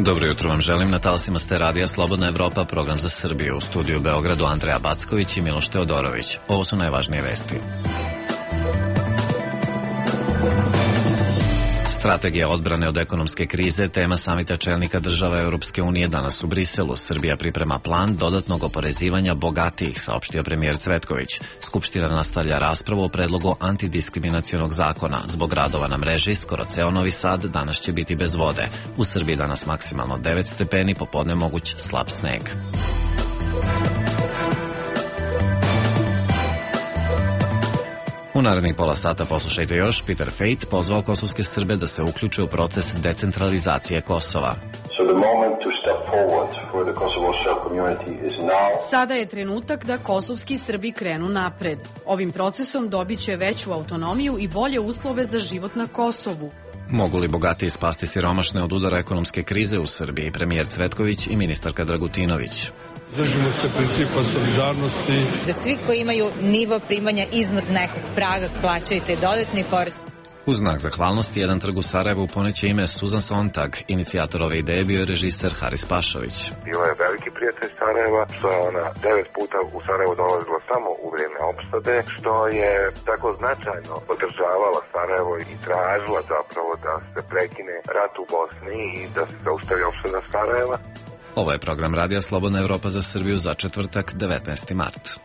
Dobro jutro vam želim, na talasima ste radija Slobodna Evropa, program za Srbiju. U studiju u Beogradu Andreja Backović i Miloš Teodorović. Ovo su najvažnije vesti. Strategija odbrane od ekonomske krize, tema samita čelnika država Europske unije danas u Briselu. Srbija priprema plan dodatnog oporezivanja bogatijih, saopštio premijer Cvetković. Skupština nastavlja raspravu o predlogu antidiskriminacionog zakona. Zbog radova na mreži, skoro ceo Novi Sad danas će biti bez vode. U Srbiji danas maksimalno 9 stepeni, popodne moguć slab sneg. U narednih pola sata poslušajte još. Peter Fejt pozvao kosovske Srbe da se uključe u proces decentralizacije Kosova. Sada je trenutak da kosovski Srbi krenu napred. Ovim procesom dobit će veću autonomiju i bolje uslove za život na Kosovu. Mogu li bogatiji spasti siromašne od udara ekonomske krize u Srbiji? Premijer Cvetković i ministarka Dragutinović. Držimo se principa solidarnosti. Da svi koji imaju nivo primanja iznad nekog praga plaćaju taj dodatni porez. U znak zahvalnosti, jedan trg u Sarajevu poneće ime Susan Sontag. Inicijator ove ideje bio je režiser Haris Pašović. Bila je veliki prijatelj Sarajeva, što je ona 9 puta u Sarajevo dolazila samo u vrijeme opštade, što je tako značajno podržavala Sarajevo i tražila zapravo da se prekine rat u Bosni i da se zaustavi opštada Sarajeva. Ovo je program Radija Slobodna Evropa za Srbiju za četvrtak, 19. mart.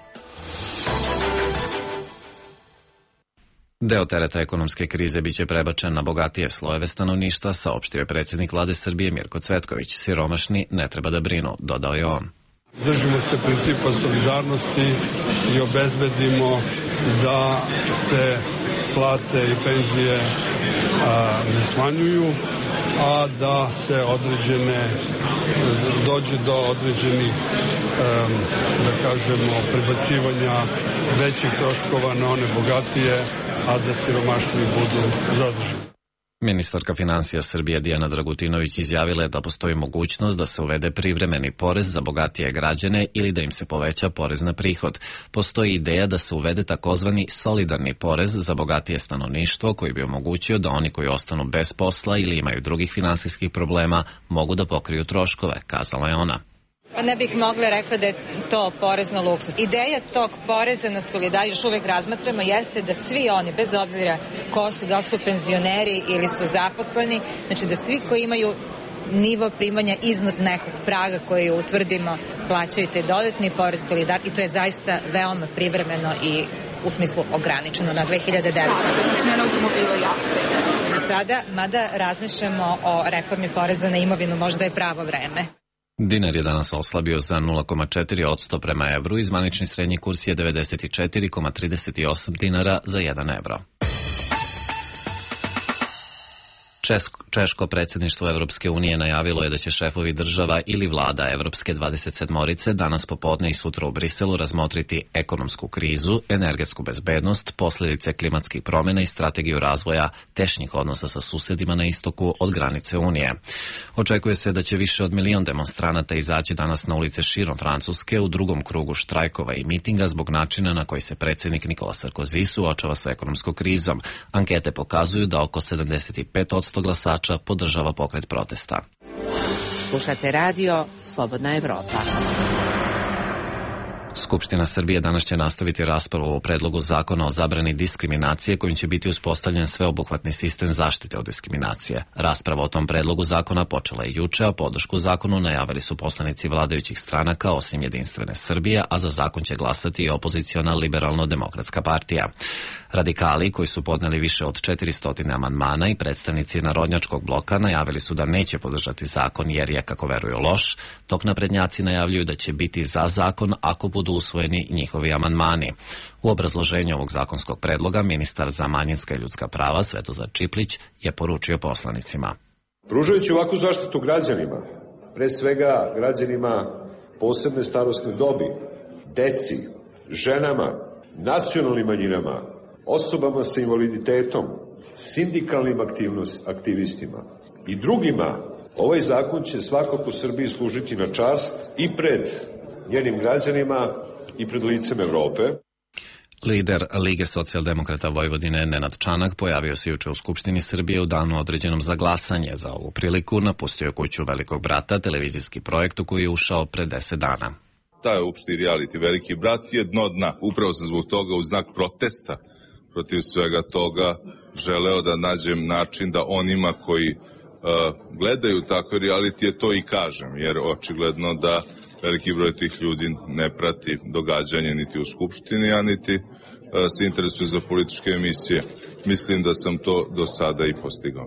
Deo tereta ekonomske krize biće prebačen na bogatije slojeve stanovništva, saopštio je predsjednik vlade Srbije Mirko Cvetković. Siromašni ne treba da brinu, dodao je on. Držimo se principa solidarnosti i obezbedimo da se plate i penzije ne smanjuju, a da se dođe do određenih, da kažemo, prebacivanja većih troškova na one bogatije, a da siromašni budu zadržani. Ministarka financija Srbije Dijana Dragutinović izjavila je da postoji mogućnost da se uvede privremeni porez za bogatije građane ili da im se poveća porez na prihod. Postoji ideja da se uvede takozvani solidarni porez za bogatije stanovništvo koji bi omogućio da oni koji ostanu bez posla ili imaju drugih finansijskih problema mogu da pokriju troškove, kazala je ona. Ne bih mogla rekla da je to porez na luksus. Ideja tog poreza na solidarnost još uvek razmatramo jeste da svi oni, bez obzira ko su, da su penzioneri ili su zaposleni, znači da svi koji imaju nivo primanja iznad nekog praga koji utvrdimo plaćaju taj dodatni porez solidarnosti i to je zaista veoma privremeno i u smislu ograničeno na 2009. Za sada, mada razmišljamo o reformi poreza na imovinu, možda je pravo vreme. Dinar je danas oslabio za 0,4% prema evru i zvanični srednji kurs je 94,38 dinara za 1 evro. Češko predsjedništvo Evropske unije najavilo je da će šefovi država ili vlada Evropske 27-orice danas popodne i sutra u Briselu razmotriti ekonomsku krizu, energetsku bezbednost, posljedice klimatskih promjena i strategiju razvoja tešnjih odnosa sa susedima na istoku od granice Unije. Očekuje se da će više od 1 milion demonstranata izaći danas na ulice širom Francuske u drugom krugu štrajkova i mitinga zbog načina na koji se predsjednik Nikola Sarkozy suočava sa ekonomskom krizom. Ankete pokazuju da oko 75% glasača podržava pokret protesta. Slušate radio Slobodna Evropa. Skupština Srbije danas će nastaviti raspravu o predlogu zakona o zabrani diskriminacije kojim će biti uspostavljen sveobuhvatni sistem zaštite od diskriminacije. Rasprava o tom predlogu zakona počela je juče, a podršku zakonu najavili su poslanici vladajućih stranaka osim Jedinstvene Srbije, a za zakon će glasati i opoziciona Liberalno-demokratska partija. Radikali, koji su podneli više od 400 amandmana i predstavnici Narodnjačkog bloka najavili su da neće podržati zakon jer je, kako veruju, loš, dok naprednjaci najavljuju da će biti za zakon ako budu usvojeni njihovi amandmani. U obrazloženju ovog zakonskog predloga ministar za manjinska i ljudska prava Svetozar Čiplić je poručio poslanicima. Pružajući ovakvu zaštitu građanima, pre svega građanima posebne starosne dobi, deci, ženama, nacionalnim manjinama, osobama sa invaliditetom, sindikalnim aktivistima i drugima, ovaj zakon će svakako Srbiji služiti na čast i pred njenim građanima i pred licem Evrope. Lider Lige socijaldemokrata Vojvodine Nenad Čanak pojavio se juče u Skupštini Srbije u danu određenom za glasanje. Za ovu priliku napustio kuću Velikog brata, televizijski projekt u koji je ušao pre 10 dana. Taj opšti reality Veliki brat je dno dna. Upravo sam zbog toga u znak protesta protiv svega toga želeo da nađem način da onima koji gledaju takve realitije to i kažem, jer očigledno da veliki broj tih ljudi ne prati događanje niti u Skupštini, a niti se interesuje za političke emisije. Mislim da sam to do sada i postigao.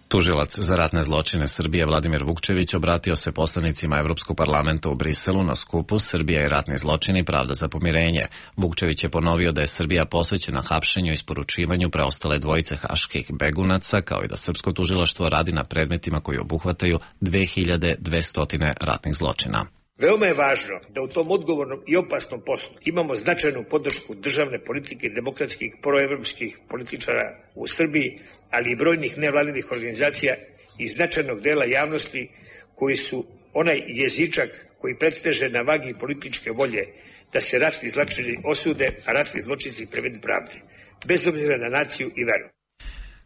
Tužilac za ratne zločine Srbije Vladimir Vukčević obratio se poslanicima Evropskog parlamenta u Briselu na skupu Srbija i ratni zločini, pravda za pomirenje. Vukčević je ponovio da je Srbija posvećena hapšenju i isporučivanju preostale dvojice haških begunaca, kao i da srpsko tužilaštvo radi na predmetima koji obuhvataju 2200 ratnih zločina. Veoma je važno da u tom odgovornom i opasnom poslu imamo značajnu podršku državne politike i demokratskih proevropskih političara u Srbiji, ali i brojnih nevladinih organizacija i značajnog dela javnosti koji su onaj jezičak koji preteže na vagi političke volje da se ratni zločini osude, a ratni zločinci privedu pravdi, bez obzira na naciju i veru.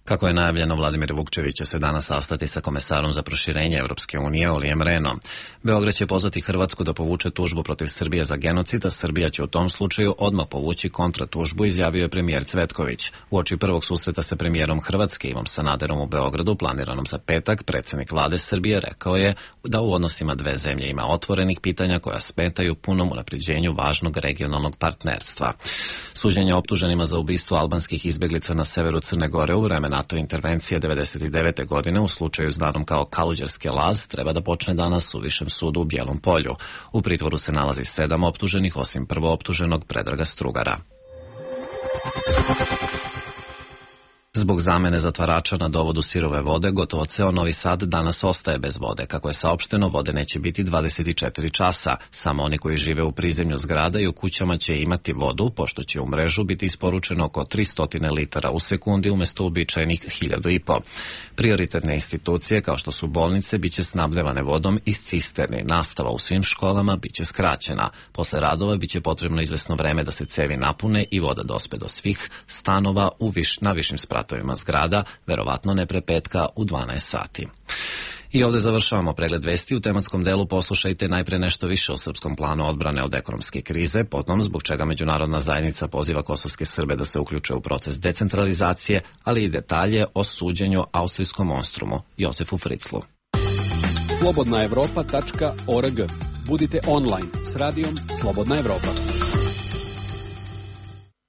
Kako je najavljeno, Vladimir Vukčević će se danas sastati sa komesarom za proširenje Evropske unije Olijem Rehnom. Beograd će pozvati Hrvatsku da povuče tužbu protiv Srbije za genocid, a Srbija će u tom slučaju odmah povući kontratužbu, izjavio je premijer Cvetković. Uoči prvog susreta sa premijerom Hrvatske Ivom Sanaderom u Beogradu, planiranom za petak, predsjednik vlade Srbije rekao je da u odnosima dve zemlje ima otvorenih pitanja koja smetaju punom unapređenju važnog regionalnog partnerstva. Suđenje optuženima za ubistvo albanskih izbeglica na severu Crne Gore u vreme NATO intervencije 1999. godine u slučaju znanom kao Kaluđerski laz treba da počne danas u Višem sudu u Bijelom Polju. U pritvoru se nalazi 7 optuženih, osim prvooptuženog Predraga Strugara. Zbog zamene zatvarača na dovodu sirove vode, gotovo ceo Novi Sad danas ostaje bez vode. Kako je saopšteno, vode neće biti 24 časa. Samo oni koji žive u prizemlju zgrada i u kućama će imati vodu, pošto će u mrežu biti isporučeno oko 300 litara u sekundi umjesto uobičajenih 1500. Prioritetne institucije, kao što su bolnice, biće snabdevane vodom iz cisterni. Nastava u svim školama biće skraćena. Posle radova biće potrebno izvesno vreme da se cevi napune i voda dospe do svih stanova na višim spratovima zgrada, verovatno ne pre petka u 12 sati. I ovdje završavamo pregled vesti. U tematskom delu poslušajte najpre nešto više o srpskom planu odbrane od ekonomske krize, potom zbog čega međunarodna zajednica poziva kosovske Srbe da se uključe u proces decentralizacije, ali i detalje o suđenju austrijskom monstrumu Josefu Fritzlu. slobodnaevropa.org. Budite online s radijom Slobodna Evropa.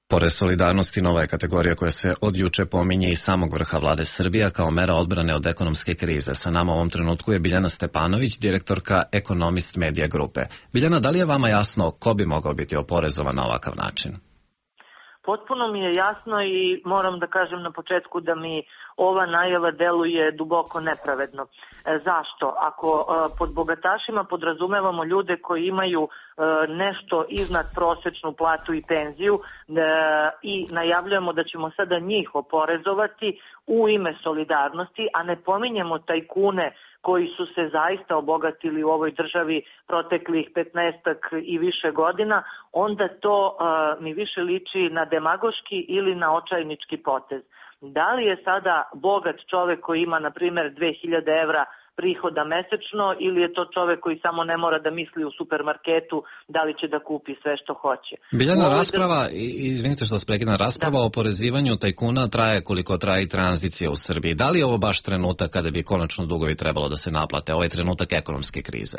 Pored solidarnosti, nova je kategorija koja se od juče pominje i samog vrha vlade Srbija kao mera odbrane od ekonomske krize. Sa nama u ovom trenutku je Biljana Stepanović, direktorka Economist Media Grupe. Biljana, da li je vama jasno ko bi mogao biti oporezovan na ovakav način? Potpuno mi je jasno i moram da kažem na početku da mi ova najava deluje duboko nepravedno. Zašto? Ako pod bogatašima podrazumevamo ljude koji imaju nešto iznad prosečnu platu i penziju i najavljujemo da ćemo sada njih oporezovati u ime solidarnosti, a ne pominjemo tajkune koji su se zaista obogatili u ovoj državi proteklih 15 i više godina, onda to mi više liči na demagoški ili na očajnički potez. Da li je sada bogat čovek koji ima, na primjer, 2000 evra prihoda mesečno ili je to čovek koji samo ne mora da misli u supermarketu da li će da kupi sve što hoće? Biljana, rasprava, izvinite što vas prekidam, rasprava o oporezivanju tajkuna traje koliko traje i tranzicija u Srbiji. Da li je ovo baš trenutak kada bi konačno dugovi trebalo da se naplate? Ovo je trenutak ekonomske krize.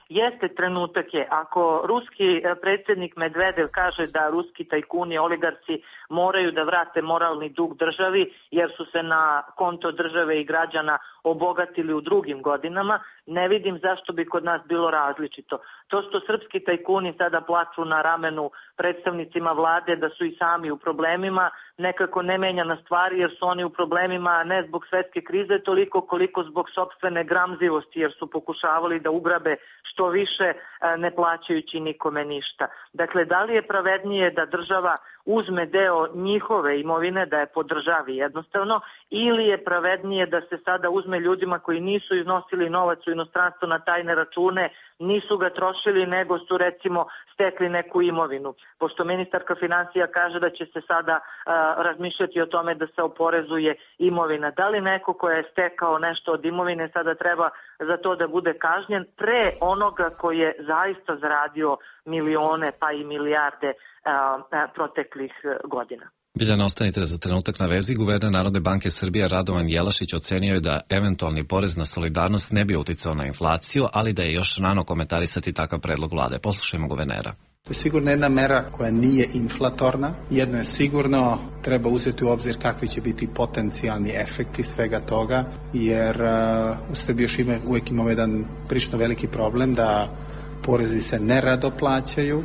Jeste, trenutak je. Ako ruski predsjednik Medvedev kaže da ruski tajkuni, oligarci moraju da vrate moralni dug državi jer su se na konto države i građana obogatili u drugim godinama, ne vidim zašto bi kod nas bilo različito. To što srpski tajkuni sada plaču na ramenu predstavnicima vlade da su i sami u problemima, nekako ne menja na stvari jer su oni u problemima ne zbog svetske krize toliko koliko zbog sopstvene gramzivosti jer su pokušavali da ugrabe što više ne plaćajući nikome ništa. Dakle, da li je pravednije da država uzme deo njihove imovine da je podržavi jednostavno, ili je pravednije da se sada uzme ljudima koji nisu iznosili novac u inostranstvo na tajne račune, nisu ga trošili, nego su recimo stekli neku imovinu. Pošto ministarka finansija kaže da će se sada razmišljati o tome da se oporezuje imovina. Da li neko ko je stekao nešto od imovine sada treba za to da bude kažnjen pre onoga koji je zaista zaradio milione pa i milijarde proteklih godina? Biljana, ostanite za trenutak na vezi. Guverner Narodne banke Srbije Radovan Jelašić ocenio je da eventualni porez na solidarnost ne bi uticao na inflaciju, ali da je još rano komentarisati takav predlog vlade. Poslušajmo guvernera. To je sigurno jedna mera koja nije inflatorna. Jedno je sigurno, treba uzeti u obzir kakvi će biti potencijalni efekti svega toga, jer u Srbiji još uvijek imamo jedan prilično veliki problem da porezi se nerado plaćaju,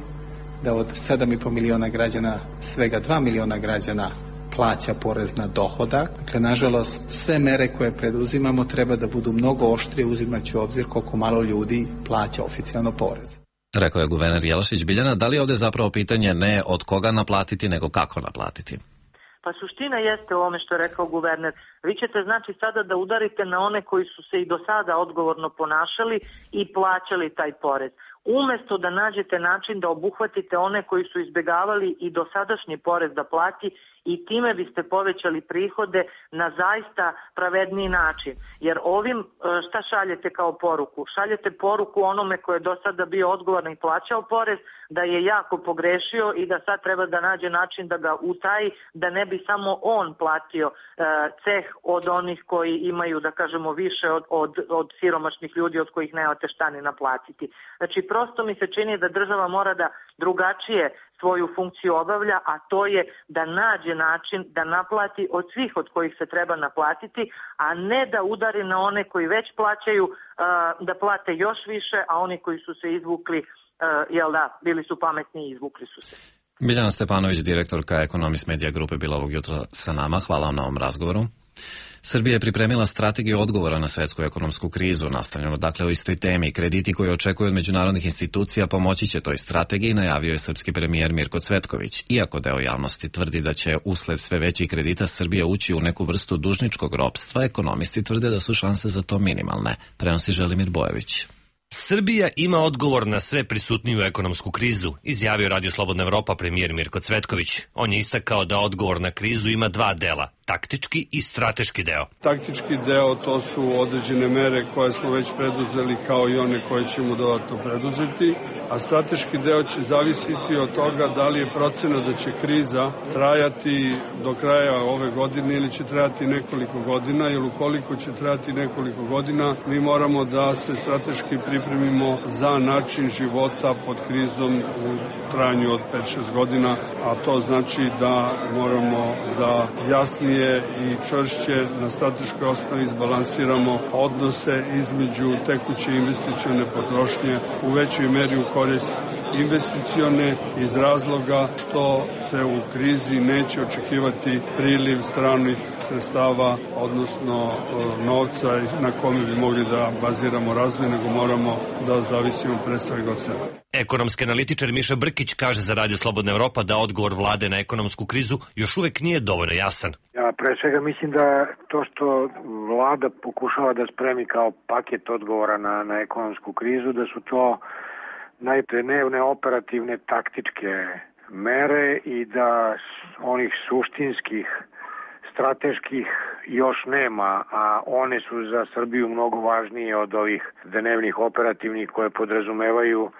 da od 7,5 miliona građana svega 2 miliona građana plaća porez na dohodak. Dakle, nažalost, sve mere koje preduzimamo treba da budu mnogo oštrije, uzimajući u obzir koliko malo ljudi plaća oficijalno porez. Rekao je guverner Jelašić. Biljana, da li je ovdje zapravo pitanje ne od koga naplatiti, nego kako naplatiti? Pa suština jeste u ovome što je rekao guverner. Vi ćete znači sada da udarite na one koji su se i do sada odgovorno ponašali i plaćali taj porez. Umesto da nađete način da obuhvatite one koji su izbjegavali i dosadašnji porez da plati i time biste povećali prihode na zaista pravedniji način. Jer ovim šta šaljete kao poruku? Šaljete poruku onome koji je do sada bio odgovoran i plaćao porez da je jako pogrešio i da sad treba da nađe način da ga utaji, da ne bi samo on platio ceh od onih koji imaju, da kažemo, više od siromašnih ljudi od kojih nemate šta ni naplatiti. Znači, prosto mi se čini da država mora da drugačije svoju funkciju obavlja, a to je da nađe način da naplati od svih od kojih se treba naplatiti, a ne da udari na one koji već plaćaju da plate još više, a oni koji su se izvukli, bili su pametni i izvukli su se. Biljana Stepanović, direktorka Economist Media Grupe, bila ovog jutra sa nama. Hvala vam na ovom razgovoru. Srbija je pripremila strategiju odgovora na svetsku ekonomsku krizu. Nastavljamo dakle o istoj temi. Krediti koji očekuju od međunarodnih institucija pomoći će toj strategiji, najavio je srpski premijer Mirko Cvetković. Iako deo javnosti tvrdi da će usled sve većih kredita Srbija ući u neku vrstu dužničkog ropstva, ekonomisti tvrde da su šanse za to minimalne. Prenosi Želimir Bojović. Srbija ima odgovor na sve prisutniju ekonomsku krizu, izjavio Radio Slobodna Evropa premijer Mirko Cvetković. On je istakao da odgovor na krizu ima dva dela, taktički i strateški deo. Taktički deo to su određene mere koje smo već preduzeli kao i one koje ćemo dodatno preduzeti, a strateški deo će zavisiti od toga da li je procena da će kriza trajati do kraja ove godine ili će trajati nekoliko godina, jer ukoliko će trajati nekoliko godina mi moramo da se strateški pripremimo za način života pod krizom u trajanju od 5-6 godina, a to znači da moramo da jasnije i čvršće na strateškoj osnovi izbalansiramo odnose između tekuće investicione potrošnje u većoj meri u korist investicione iz razloga što se u krizi neće očekivati priliv stranih sredstava, odnosno novca na kome bi mogli da baziramo razvoj, nego moramo da zavisimo pre svega od sebe. Ekonomski analitičar Miša Brkić kaže za Radio Slobodna Evropa da odgovor vlade na ekonomsku krizu još uvek nije dovoljno jasan. Ja pre svega mislim da to što vlada pokušava da spremi kao paket odgovora na ekonomsku krizu, da su to najprenevne operativne taktičke mere i da onih suštinskih, strateških još nema, a one su za Srbiju mnogo važnije od ovih dnevnih operativnih koje podrazumevaju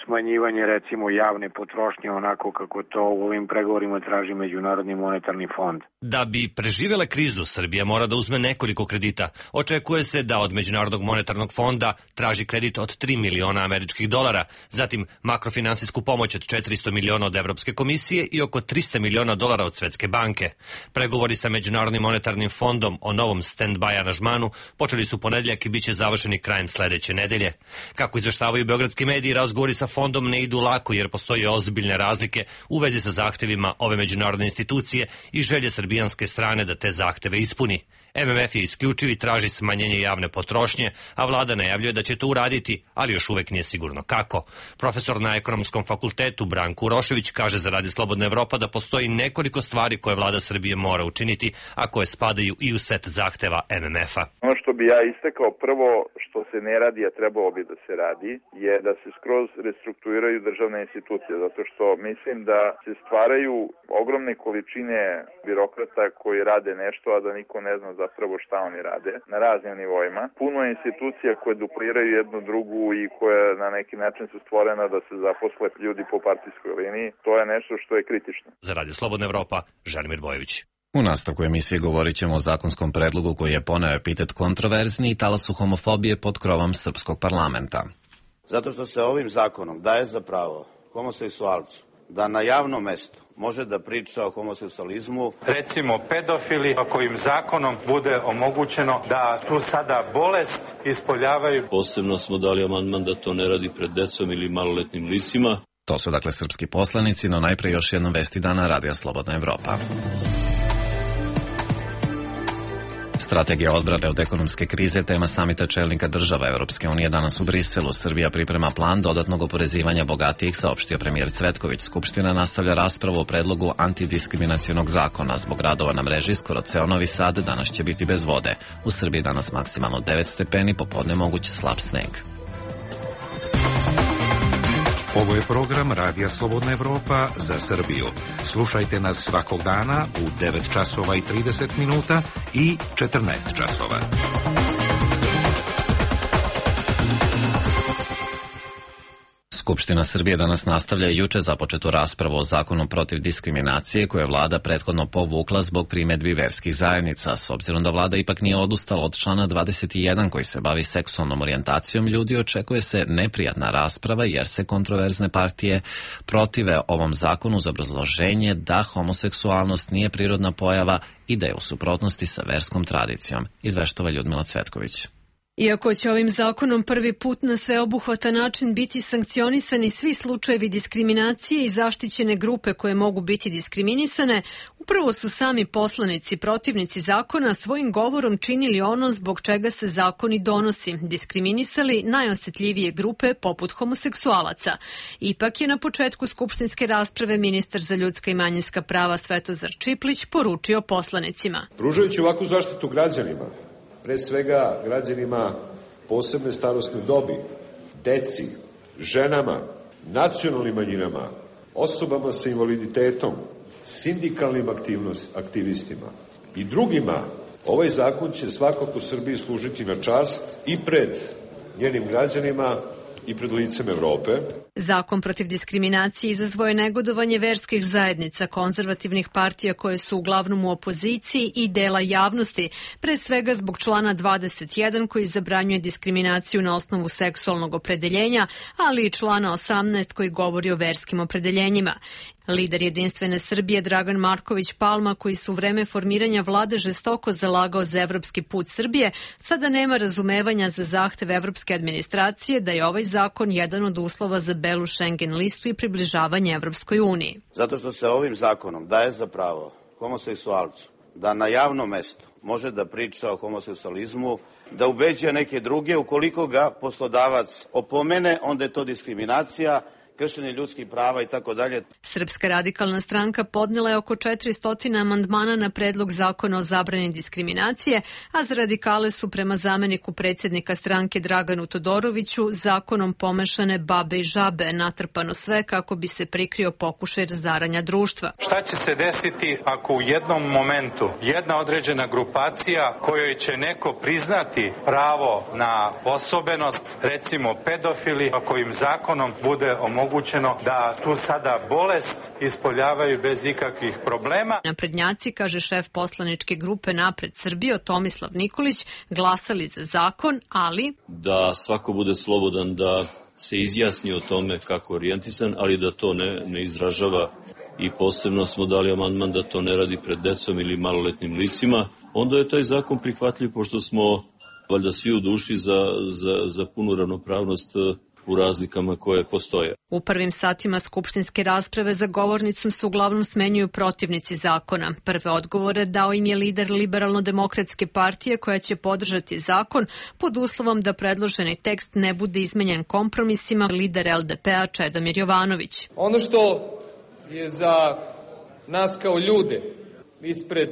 smanjivanje recimo javne potrošnje onako kako to u ovim pregovorima traži Međunarodni monetarni fond. Da bi preživjela krizu, Srbija mora da uzme nekoliko kredita. Očekuje se da od Međunarodnog monetarnog fonda traži kredit od 3 miliona američkih dolara, zatim makrofinansijsku pomoć od 400 miliona od Evropske komisije i oko 300 miliona dolara od Svetske banke. Pregovori sa Međunarodnim monetarnim fondom o novom stand-by aranžmanu počeli su ponedeljak i bit će završeni krajem sledeće nedelje. Kako izveštavaju beogradski mediji, razgovori sa fondom ne idu lako jer postoje ozbiljne razlike u vezi sa zahtevima ove međunarodne institucije i želje srbijanske strane da te zahteve ispuni. MMF je isključiv i traži smanjenje javne potrošnje, a vlada najavljuje da će to uraditi, ali još uvek nije sigurno kako. Profesor na Ekonomskom fakultetu Branko Urošević kaže za Radio Slobodna Evropa da postoji nekoliko stvari koje vlada Srbije mora učiniti, a koje spadaju i u set zahteva MMF-a. Ono što bi ja istakao prvo što se ne radi, a trebalo bi da se radi, je da se skroz restrukturiraju državne institucije, zato što mislim da se stvaraju ogromne količine birokrata koji rade nešto, a da niko ne zna zapravo šta oni rade na raznim nivoima. Puno je institucija koje dupliraju jednu drugu i koje na neki način su stvorena da se zaposle ljudi po partijskoj liniji. To je nešto što je kritično. Za Radio Slobodna Evropa, Želimir Bojović. U nastavku emisije govorit ćemo o zakonskom predlogu koji je poneo epitet kontroverzni i talasu homofobije pod krovom srpskog parlamenta. Zato što se ovim zakonom daje za pravo homoseksualcu da na javnom mestu može da priča o homoseksualizmu. Recimo pedofili, kojim zakonom bude omogućeno da tu sada bolest ispoljavaju. Posebno smo dali amandman da to ne radi pred decom ili maloletnim licima. To su dakle srpski poslanici, no najpre još jednom vesti dana Radija Slobodna Evropa. Strategija odbrane od ekonomske krize, tema samita čelnika država Evropske unije danas u Briselu. Srbija priprema plan dodatnog oporezivanja bogatijih, saopštio premijer Cvetković. Skupština nastavlja raspravu o predlogu antidiskriminacionog zakona. Zbog radova na mreži skoro ceo Novi Sad danas će biti bez vode. U Srbiji danas maksimalno 9 stepeni, popodne moguć slab sneg. Ovo je program Radija Slobodna Evropa za Srbiju. Slušajte nas svakog dana u 9 časova i 30 minuta i 14 časova. Skupština Srbije danas nastavlja juče započetu raspravu o zakonu protiv diskriminacije koje je vlada prethodno povukla zbog primedbi verskih zajednica. S obzirom da vlada ipak nije odustala od člana 21 koji se bavi seksualnom orijentacijom ljudi, očekuje se neprijatna rasprava jer se kontroverzne partije protive ovom zakonu uz obrazloženje da homoseksualnost nije prirodna pojava i da je u suprotnosti sa verskom tradicijom, izveštava Ljudmila Cvetković. Iako će ovim zakonom prvi put na sveobuhvatan način biti sankcionisani svi slučajevi diskriminacije i zaštićene grupe koje mogu biti diskriminisane, upravo su sami poslanici protivnici zakona svojim govorom činili ono zbog čega se zakon i donosi, diskriminisali najosetljivije grupe poput homoseksualaca. Ipak je na početku skupštinske rasprave ministar za ljudska i manjinska prava Svetozar Čiplić poručio poslanicima. Pružajući ovakvu zaštitu građanima, pre svega građanima posebne starosne dobi, deci, ženama, nacionalnim manjinama, osobama sa invaliditetom, sindikalnim aktivistima i drugima, ovaj zakon će svakako Srbiji služiti na čast i pred njenim građanima i pred licem Evrope. Zakon protiv diskriminacije izazvao je negodovanje verskih zajednica, konzervativnih partija koje su uglavnom u opoziciji i dela javnosti, pre svega zbog člana 21 koji zabranjuje diskriminaciju na osnovu seksualnog opredeljenja, ali i člana 18 koji govori o verskim opredeljenjima. Lider Jedinstvene Srbije Dragan Marković Palma, koji su u vreme formiranja vlade žestoko zalagao za evropski put Srbije, sada nema razumevanja za zahtev evropske administracije da je ovaj zakon jedan od uslova za belu Schengen listu i približavanje Evropskoj uniji. Zato što se ovim zakonom daje za pravo homoseksualcu da na javnom mestu može da priča o homoseksualizmu, da ubeđuje neke druge, ukoliko ga poslodavac opomene, onda je to diskriminacija, kršenje ljudskih prava i tako dalje. Srpska radikalna stranka podnela je oko 400 amandmana na predlog zakona o zabrani diskriminacije, a za radikale su prema zameniku predsjednika stranke Draganu Todoroviću zakonom pomešane babe i žabe, natrpano sve kako bi se prikrio pokušaj razaranja društva. Šta će se desiti ako u jednom momentu jedna određena grupacija kojoj će neko priznati pravo na osobenost, recimo pedofili, kojim zakonom bude omogućeno da tu sada bolest ispoljavaju bez ikakvih problema. Naprednjaci, kaže šef poslaničke grupe Napred Srbije Tomislav Nikolić, glasali za zakon, ali da svako bude slobodan da se izjasni o tome kako je orijentisan, ali da to ne izražava, i posebno smo dali amandman da to ne radi pred decom ili maloletnim licima, onda je taj zakon prihvatljiv pošto smo valjda svi u duši za punu ravnopravnost u razlikama koje postoje. U prvim satima skupštinske rasprave za govornicom se uglavnom smenjuju protivnici zakona. Prve odgovore dao im je lider Liberalno-demokratske partije koja će podržati zakon pod uslovom da predloženi tekst ne bude izmenjen kompromisima, lider LDP-a Čedomir Jovanović. Ono što je za nas kao ljude ispred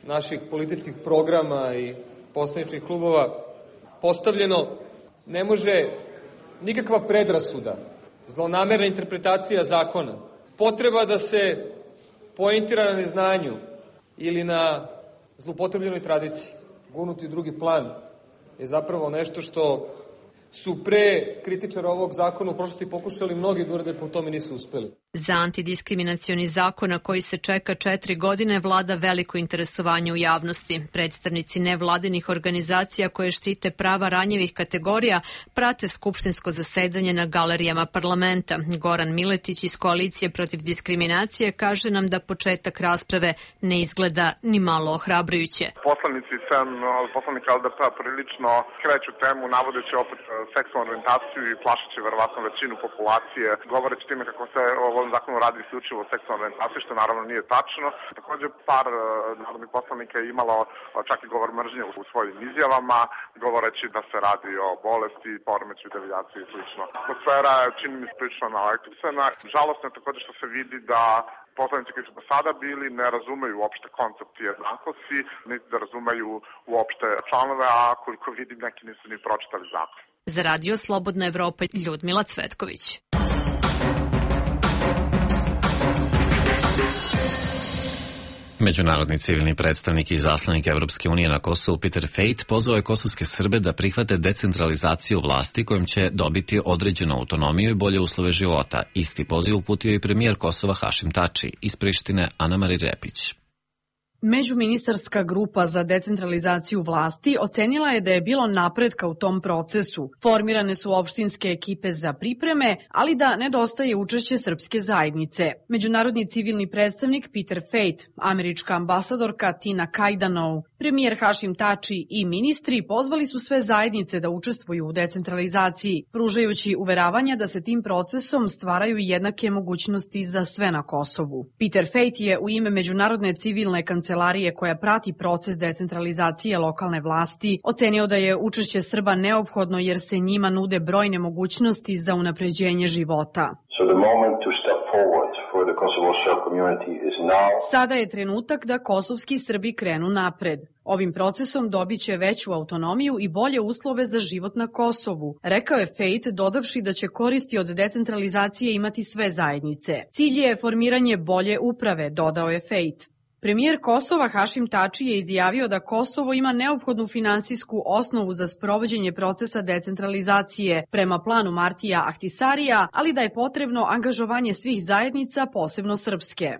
naših političkih programa i poslaničkih klubova postavljeno ne može nikakva predrasuda, zlonamerna interpretacija zakona, potreba da se pointira na neznanju ili na zlupotrebljenoj tradiciji, gurnuti u drugi plan, je zapravo nešto što su pre kritičara ovog zakona u prošlosti pokušali mnogi da urade, po tome nisu uspeli. Za antidiskriminacioni zakon na koji se čeka 4 godine vlada veliko interesovanje u javnosti. Predstavnici nevladinih organizacija koje štite prava ranjivih kategorija prate skupštinsko zasedanje na galerijama parlamenta. Goran Miletić iz Koalicije protiv diskriminacije kaže nam da početak rasprave ne izgleda ni malo ohrabrujuće. Poslanici poslanika LDP-a prilično kreću temu navodeći opet seksualnu orijentaciju i plašeći verovatno većinu populacije, govoreći time kako se o ovom zakonu radi isključivo o seksualnoj orijentaciji, što naravno nije tačno. Takođe, par narodnih poslanika je imalo čak i govor mržnje u svojim izjavama, govoreći da se radi o bolesti, poremećaju, devijaciji i slično. Atmosfera je, čini mi se, prilično naelektričena. Žalostno je takođe što se vidi da poslanici koji su do sada bili ne razumeju uopšte koncept jednakosti, niti da razumeju uopšte članove, a koliko vidim neki nisu ni pročitali zakon. Za Radio Slobodna Evropa, Ljudmila Cvetković. Međunarodni civilni predstavnik i izaslanik Evropske unije na Kosovu Peter Fejt pozvao je kosovske Srbe da prihvate decentralizaciju vlasti kojom će dobiti određenu autonomiju i bolje uslove života. Isti poziv uputio i premijer Kosova Hašim Tači, iz Prištine Ana-Mari Repić. Međuministarska grupa za decentralizaciju vlasti ocenila je da je bilo napretka u tom procesu. Formirane su opštinske ekipe za pripreme, ali da nedostaje učešće srpske zajednice. Međunarodni civilni predstavnik Peter Fejt, američka ambasadorka Tina Kajdanov, premijer Hašim Tači i ministri pozvali su sve zajednice da učestvuju u decentralizaciji, pružajući uveravanja da se tim procesom stvaraju jednake mogućnosti za sve na Kosovu. Peter Fejt je u ime Međunarodne civilne kancelarije koja prati proces decentralizacije lokalne vlasti ocenio da je učešće Srba neophodno jer se njima nude brojne mogućnosti za unapređenje života. Sada je trenutak da kosovski Srbi krenu napred. Ovim procesom dobit će veću autonomiju i bolje uslove za život na Kosovu, rekao je Fejt, dodavši da će koristi od decentralizacije imati sve zajednice. Cilj je formiranje bolje uprave, dodao je Fejt. Premijer Kosova Hašim Tači je izjavio da Kosovo ima neophodnu finansijsku osnovu za sprovođenje procesa decentralizacije prema planu Martija Ahtisarija, ali da je potrebno angažovanje svih zajednica, posebno srpske.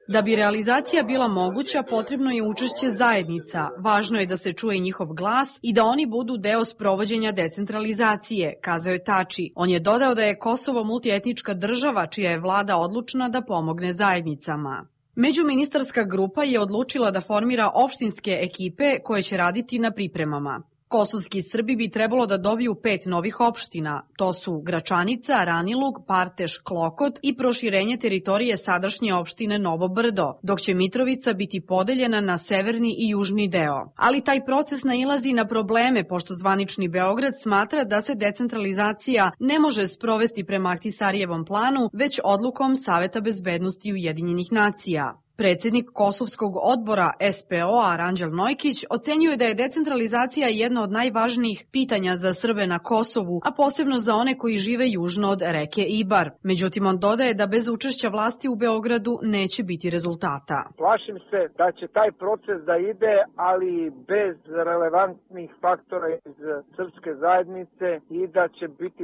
Da bi realizacija bila moguća, potrebno je učešće zajednica. Važno je da se čuje njihov glas i da oni budu deo sprovođenja decentralizacije, kazao je Tači. On je dodao da je Kosovo multietnička država čija je vlada odlučna da pomogne zajednicama. Međuministarska grupa je odlučila da formira opštinske ekipe koje će raditi na pripremama. Kosovski Srbi bi trebalo da dobiju 5 novih opština. To su Gračanica, Ranilug, Parteš, Klokot i proširenje teritorije sadašnje opštine Novo Brdo, dok će Mitrovica biti podeljena na severni i južni deo. Ali taj proces nailazi na probleme, pošto zvanični Beograd smatra da se decentralizacija ne može sprovesti prema Ahtisarijevom planu, već odlukom Saveta bezbednosti Ujedinjenih nacija. Predsjednik Kosovskog odbora SPO-a Ranđel Nojkić ocenjuje da je decentralizacija jedno od najvažnijih pitanja za Srbe na Kosovu, a posebno za one koji žive južno od reke Ibar. Međutim, on dodaje da bez učešća vlasti u Beogradu neće biti rezultata. Plašim se da će taj proces da ide, ali bez relevantnih faktora iz srpske zajednice i da će biti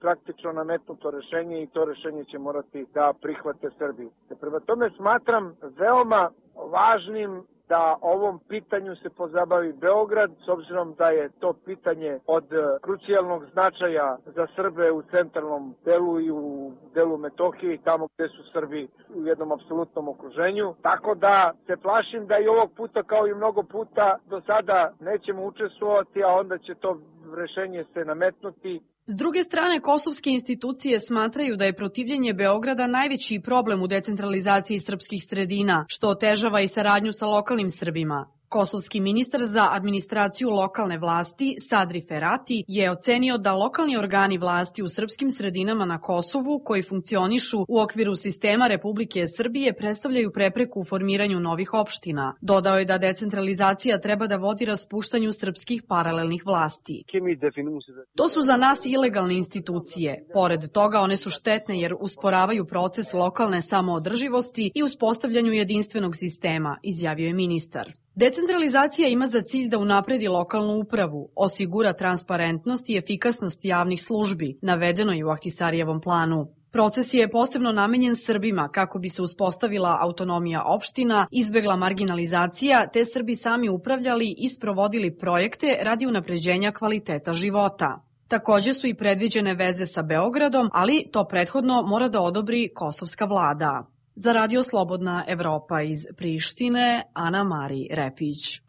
praktično nametnuto rešenje i to rešenje će morati da prihvate Srbi. Prema tome smatram veoma važnim da ovom pitanju se pozabavi Beograd, s obzirom da je to pitanje od krucijalnog značaja za Srbe u centralnom delu i u delu Metohije, tamo gde su Srbi u jednom apsolutnom okruženju. Tako da se plašim da i ovog puta, kao i mnogo puta do sada, nećemo učestvovati, a onda će to rešenje se nametnuti. S druge strane, kosovske institucije smatraju da je protivljenje Beograda najveći problem u decentralizaciji srpskih sredina, što otežava i saradnju sa lokalnim Srbima. Kosovski ministar za administraciju lokalne vlasti, Sadri Ferati, je ocenio da lokalni organi vlasti u srpskim sredinama na Kosovu, koji funkcionišu u okviru sistema Republike Srbije, predstavljaju prepreku u formiranju novih opština. Dodao je da decentralizacija treba da vodi raspuštanju srpskih paralelnih vlasti. To su za nas ilegalne institucije. Pored toga, one su štetne jer usporavaju proces lokalne samoodrživosti i uspostavljanju jedinstvenog sistema, izjavio je ministar. Decentralizacija ima za cilj da unapredi lokalnu upravu, osigura transparentnost i efikasnost javnih službi, navedeno je u Ahtisarijevom planu. Proces je posebno namenjen Srbima kako bi se uspostavila autonomija opština, izbegla marginalizacija, te Srbi sami upravljali i sprovodili projekte radi unapređenja kvaliteta života. Takođe su i predviđene veze sa Beogradom, ali to prethodno mora da odobri kosovska vlada. Za Radio Slobodna Evropa iz Prištine, Ana Mari Repić.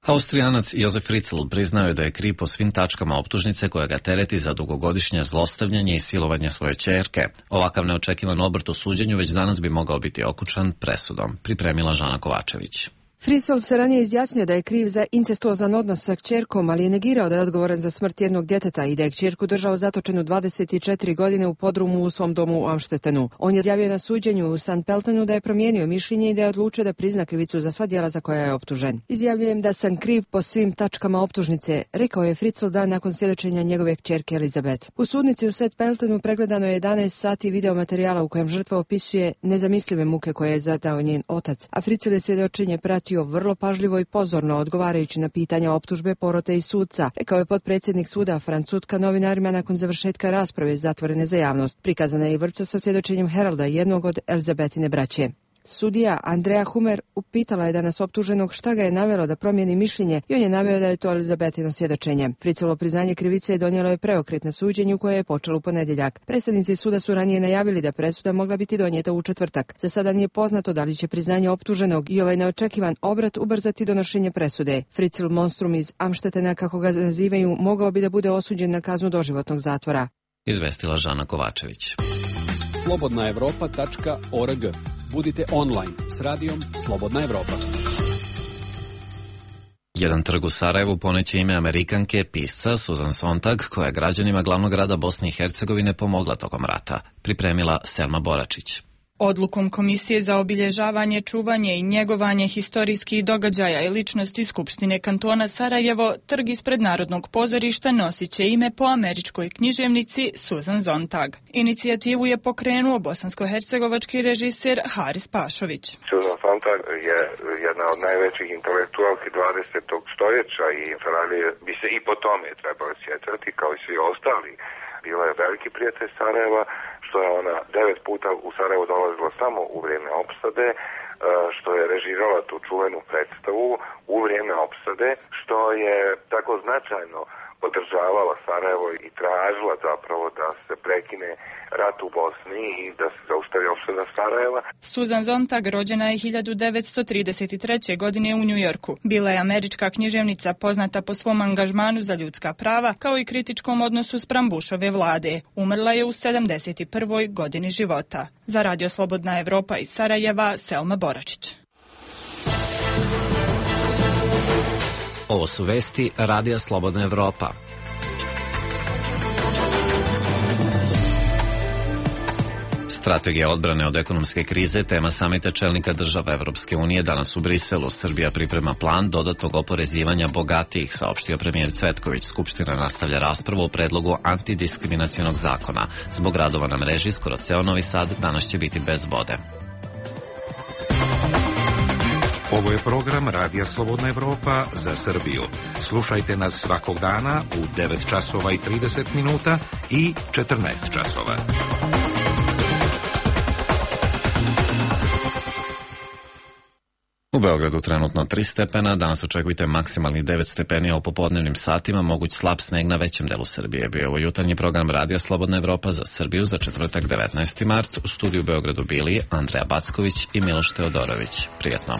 Austrijanac Josef Fritzl priznao je da je kriv po svim tačkama optužnice koja ga tereti za dugogodišnje zlostavljanje i silovanje svoje ćerke. Ovakav neočekivan obrt u suđenju već danas bi mogao biti okučan presudom, pripremila Žana Kovačević. Fritzl se ranije izjasnio da je kriv za incestuozan odnos sa kćerkom, ali je negirao da je odgovoran za smrt jednog djeteta i da je kćerku držao zatočenu 24 godine u podrumu u svom domu u Amštetenu. On je izjavio na suđenju u St. Peltenu da je promijenio mišljenje i da je odlučio da prizna krivicu za sva djela za koja je optužen. Izjavljujem da sam kriv po svim tačkama optužnice, rekao je Fritzl dan nakon svjedočenja njegove kćerke Elizabeth. U sudnici u St. Peltenu pregledano je 11 sati video materijala u kojem žrtva opisuje nezamislive muke koje je zadao njen otac, a Fritzl je svjedočenje pratio vrlo pažljivo i pozorno odgovarajući na pitanja optužbe, porote i sudca, rekao je potpredsjednik suda Franz Sutka novinarima nakon završetka rasprave zatvorene za javnost. Prikazana je i vrpca sa svjedočenjem Heralda, jednog od Elizabetine braće. Sudija Andrea Humer upitala je danas optuženog šta ga je navelo da promijeni mišljenje i on je naveo da je to Elizabetino svjedočenje. Fritzlovo priznanje krivice donijelo je preokret na suđenju koje je počelo u ponedjeljak. Predstavnici suda su ranije najavili da presuda mogla biti donijeta u četvrtak. Za sada nije poznato da li će priznanje optuženog i ovaj neočekivan obrat ubrzati donošenje presude. Fritzl monstrum iz Amštetena, kako ga nazivaju, mogao bi da bude osuđen na kaznu doživotnog zatvora. Izvestila Žana Kovačević. slobodnaevropa.org. Budite online s radijom Slobodna Evropa. Jedan trg u Sarajevu poneće ime Amerikanke, pisca Susan Sontag, koja je građanima glavnog grada Bosne i Hercegovine pomogla tokom rata, pripremila Selma Boračić. Odlukom Komisije za obilježavanje, čuvanje i njegovanje historijskih događaja i ličnosti Skupštine kantona Sarajevo, trg ispred Narodnog pozorišta nosit će ime po američkoj književnici Susan Sontag. Inicijativu je pokrenuo bosansko-hercegovački režiser Haris Pašović. Susan Sontag je jedna od najvećih intelektualki 20. stoljeća i bi se i po tome trebali sjetati kao i svi ostali. Bila je veliki prijatelj Sarajeva, što je ona 9 puta u Sarajevo dolazila samo u vrijeme opsade, što je režirala tu čuvenu predstavu u vrijeme opsade, što je tako značajno podržavala Sarajevo i tražila zapravo da se prekine rat u Bosni i da se zaustavi opsada Sarajeva. Susan Sontag rođena je 1933. godine u Njujorku. Bila je američka književnica poznata po svom angažmanu za ljudska prava kao i kritičkom odnosu spram Bushove vlade. Umrla je u 71. godini života. Za Radio Slobodna Evropa iz Sarajeva, Selma Boračić. Ovo su vesti Radija Slobodna Evropa. Strategija odbrane od ekonomske krize, tema samita čelnika država Evropske unije danas u Briselu. Srbija priprema plan dodatnog oporezivanja bogatijih, saopštio premijer Cvetković. Skupština nastavlja raspravu o predlogu antidiskriminacionog zakona. Zbog radova na mreži, skoro ceo Novi Sad danas će biti bez vode. Ovo je program Radija Slobodna Evropa za Srbiju. Slušajte nas svakog dana u 9 časova i 30 minuta i 14 časova. U Beogradu trenutno 3 stepena, danas očekujte maksimalni 9 stepeni, a u popodnevnim satima moguć slab sneg na većem delu Srbije. Bio je ovo jutarnji program Radija Slobodna Evropa za Srbiju za četvrtak 19. mart. U studiju u Beogradu bili Andreja Backović i Miloš Teodorović. Prijetno.